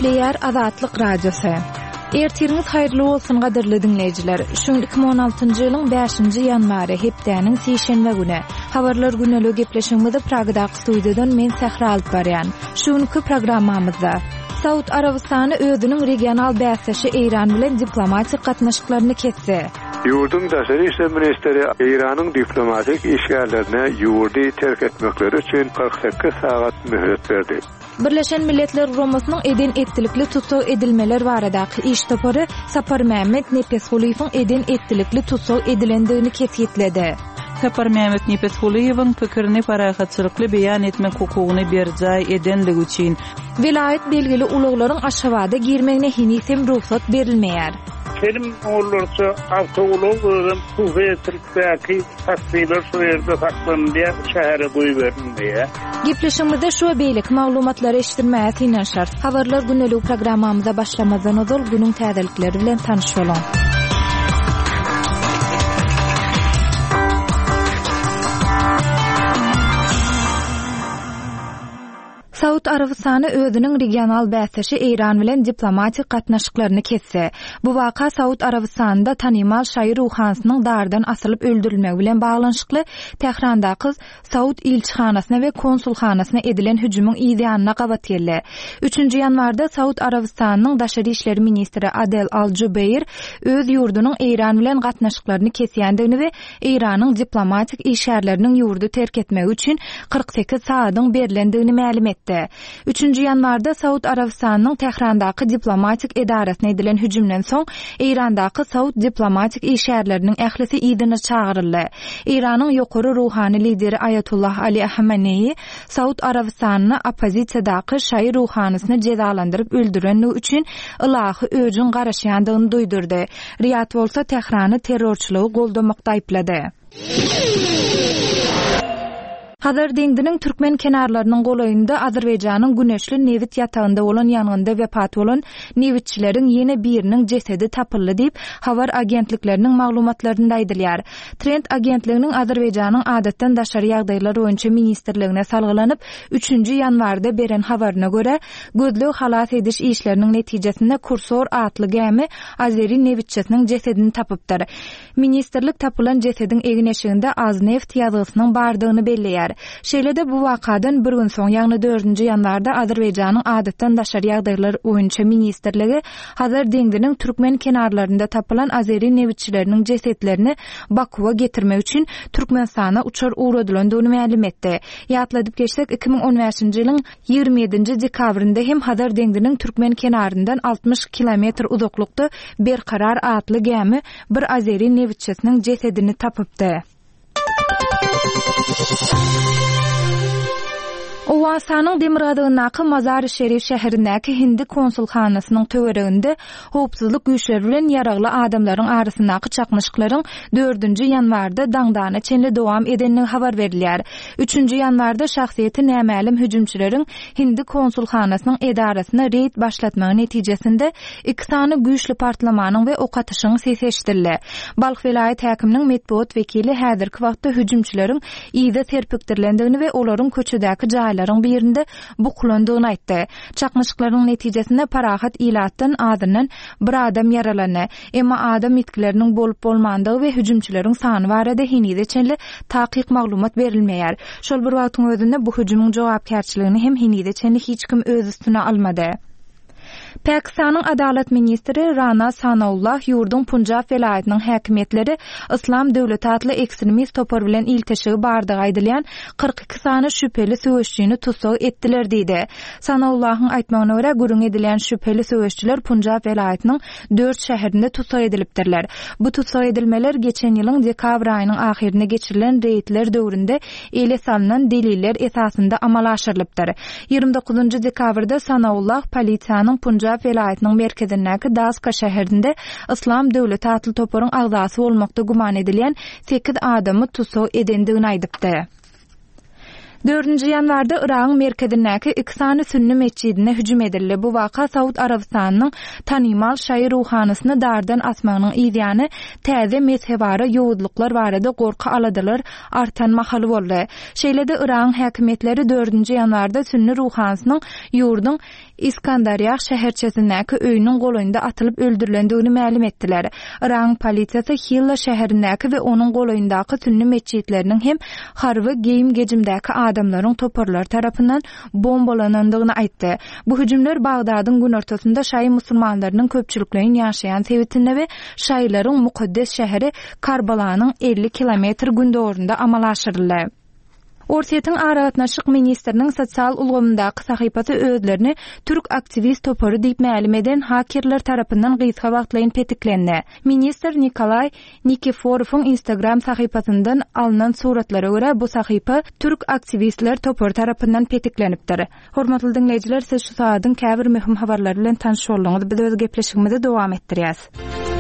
Gepleýär Azatlyk Radiosy. Ertiriňiz haýyrly bolsun gadyrly diňleýjiler. Şu gün 2016-njy ýylyň 5-nji ýanwary, hepdäniň sişenbe güni. Habarlar güneligi gepleşigimizi Pragadaky studiýadan men Sähra alyp barýan. Şu günki programmamyzda Saud Arabystany özüniň regional bäsdeşi Eýran bilen diplomatik gatnaşyklaryny kesdi. Ýurduň daşary işler ministri Eýranyň diplomatik işgärlerine ýurdy terk etmekleri üçin 48 sagat möhlet berdi. Birleşen Milletler Guramasynyň eden-etdilikli tussag edilmeler baradaky iş topary Saparmämmet Nepesgulyýewiň eden-etdilikli tussag edilendigini kesgitledi. Saparmämmet Nepesgulyýewiň pikirini parahatçylykly beýan etmek hukugyny berjaý edenligi üçin. Welaýat belgili ulaglaryň Aşgabada girmegine heniz hem rugsat berilmeýär. Telim onlarça awtoulag özem hususyýetçilikdäki taksiler şu ýerde saklanylýar, şähere goýberilmeýär. Gepleşigimizde şu we beýleki maglumatlary eşitdirmäge synanyşarys. Habarlar gündeligi programmamyza başlamazdan ozal günüň täzelikleri bilen tanyş boluň. Saud Arabystany özüniň regional bäsdeşi Eýran bilen diplomatik gatnaşyklaryny kesdi. Bu waka Saud Arabystanynda tanymal şaýy ruhanysynyň dardan asylyp öldürilmegi bilen baglanyşykly Tährandaky Saud ilçihanasyna we konsulhanasyna edilen hüjümiň yz ýanyna gabat geldi. Üçünji ýanwarda Saud Arabystanynyň daşary işler ministri Adel Al-Jubeýr öz ýurdunyň Eýran bilen gatnaşyklaryny kesýändigini we Eýranyň diplomatik işgärleriniň ýurdy terk etmegi üçin 48 sagadyň berlendigini mälim etdi. Üçünji ýanwarda Saud Arabystanynyň Tährandaky diplomatik edarasyna edilen hüjümden soň, Eýrandaky saud diplomatik işgärleriniň ählisi yzyna çagyryldy. Eýranyň ýokary ruhany lideri Aýatullah Ali Hameneýi Saud Arabystanyna oppozisiýadaky şaýy ruhanysyny jezalandyryp öldürenligi üçin ylahy öjüň garaşýandygyny duýdurdy. Riýad bolsa Tährany terrorçylygy goldamakda aýyplady. Hazar deňziniň türkmen kenarlarynyň golaýynda Azerbaýjanyň Güneşli nebit ýatagynda bolan ýangynda wepat bolan nebitçileriň ýene biriniň jesedi tapyldy diýip, habar agentlikleriniň maglumatlarynda aýdylýar. Trend agentliginiň Azerbaýjanyň Adatdan daşary ýagdaýlar boýunça ministrligine salgylanyp, üçünji ýanwarda beren habaryna görä, gözleg-halas ediş işleriniň netijesinde Kursor atly gämi azeri nebitçisiniň jesedini tapypdyr. Ministrlik tapylan jesediň egin-eşiginde Azneft ýazgysynyň bardygyny belleýär. Şeýle-de bu wakadan bir gün soň, ýagny dördünji ýanwarda Azerbaýjanyň Adatdan daşary ýagdaýlar boýunça ministrligi Hazar deňziniň türkmen kenarlarynda tapylan azeri nebitçileriniň jesetlerini Bakuwa getirmek üçin Türkmenistana uçar ugradylandygyny mälim etdi. Ýatladyp geçsek, 2015-nji ýylyň 27-nji dekabrynda hem Hazar deňziniň türkmen kenaryndan 60 kilometr uzaklykda Berkarar atly gämi bir azeri nebitçisiniň jesedini tapypdy. Owganystanyň demirgazygyndaky Mazar-i-Şerif şäherindäki hindi konsulhanasynyň töwereginde howpsuzlyk güýçleri bilen ýaragly adamlaryň arasyndaky çaknyşyklaryň dördünji ýanwarda daňdana çenli dowam edendigi habar berilýär. Üçünji ýanwarda şahsyýeti nämälim hüjümçileriň hindi konsulhanasynyň edarasyna reýd başlatmagy netijesinde iki sany güýçli partlamanyň we ok atyşygyň sesi eşidildi. Balh welaýat häkiminiň metbugat wekili häzirki wagtda hüjümçileriň yza serpikdirilendigini we olaryň köçedäki jaýlaryň birinde bukulandygyny aýtdy. Çaknyşyklaryň netijesinde parahat ilatdan azyndan bir adam ýaralandy. Emma adam ýitgileriniň bolup-bolmandygy we hüjümçileriň sany barada henize çenli takyk maglumat berilmeýär. Şol bir wagtyň özünde bu hüjümiň jogapkärçiligini hem henize çenli hiç kim öz üstüne almady. Pakistanyň adalat ministri Rana Sanaullah ýurduň Punjab welaýatynyň häkimiýetleri Yslam döwleti atly ekstremist topar bilen ilteşigi bardygy aýdylýan 42 sany şübheli söweşjini tussag etdiler diýdi. Sanaullahyň aýtmagyna görä, gürrüň edilýän şübheli söweşçiler Punjab welaýatynyň dört şäherinde tussag edilipdirler. Bu tussag edilmeler geçen ýylyň dekabr aýynyň ahyrynda geçirilen reýdler döwründe ele salnan deliller esasynda amala aşyrylypdyr. 29-njy dekabrda Sanaullah polisiýanyň Punjab welaýatynyň merkezindäki Daska şäherinde Yslam döwleti atly toparyň agzasy bolmakda güman edilýän sekiz adamy tussag edendigini aýdypdy. Dördünji ýanwarda Yragyň merkezindäki iki sany sünni metjidine hüjüm edildi. Bu waka Saud Arabystanynyň tanymal şaýy ruhanysyny dardan asmagynyň yzýany täze mezhebara ýowuzlyklar barada gorky-aladalar artan mahaly boldy. Şeýle-de Yragyň häkimiýetleri dördünji ýanwarda sünni ruhanysynyň ýurduň. Iskandarýah şäherçesindäki öýüniň golaýynda atylyp öldürilendigini mälim etdiler. Yragyň polisiýasy Hilla şäherindäki we onuň golaýyndaky sünni metjitleriniň hem harby geýim-gejimdäki adamlaryň toparlary tarapyndan bombalanandygyny aýtdy. Bu hüjümler Bagdadyň günortasynda şaýy musulmanlarynyň köpçülikleýin ýaşaýan sebitinde we şaýylaryň mukaddes şäheri Karbalanyň 50 kilometr gündogarynda amala aşyryldy. Orsýetiň aragatnaşyk ministriniň sosial ulgamyndaky sahypasy özlerini türk aktiwist topary diýip mälim eden hakerler tarapyndan gysga wagtlaýyn petiklendi. Ministr Nikolaý Nikiforowyň Instagram sahypasyndan alnan suratlara görä, bu sahypa türk aktiwistler topary tarapyndan petiklenipdir. Hormatly diňleýjiler, siz şu sagadyň käbir möhüm habarlary bilen tanyş bolduňyz. Biz öz gepleşigimizi dowam etdirýäs.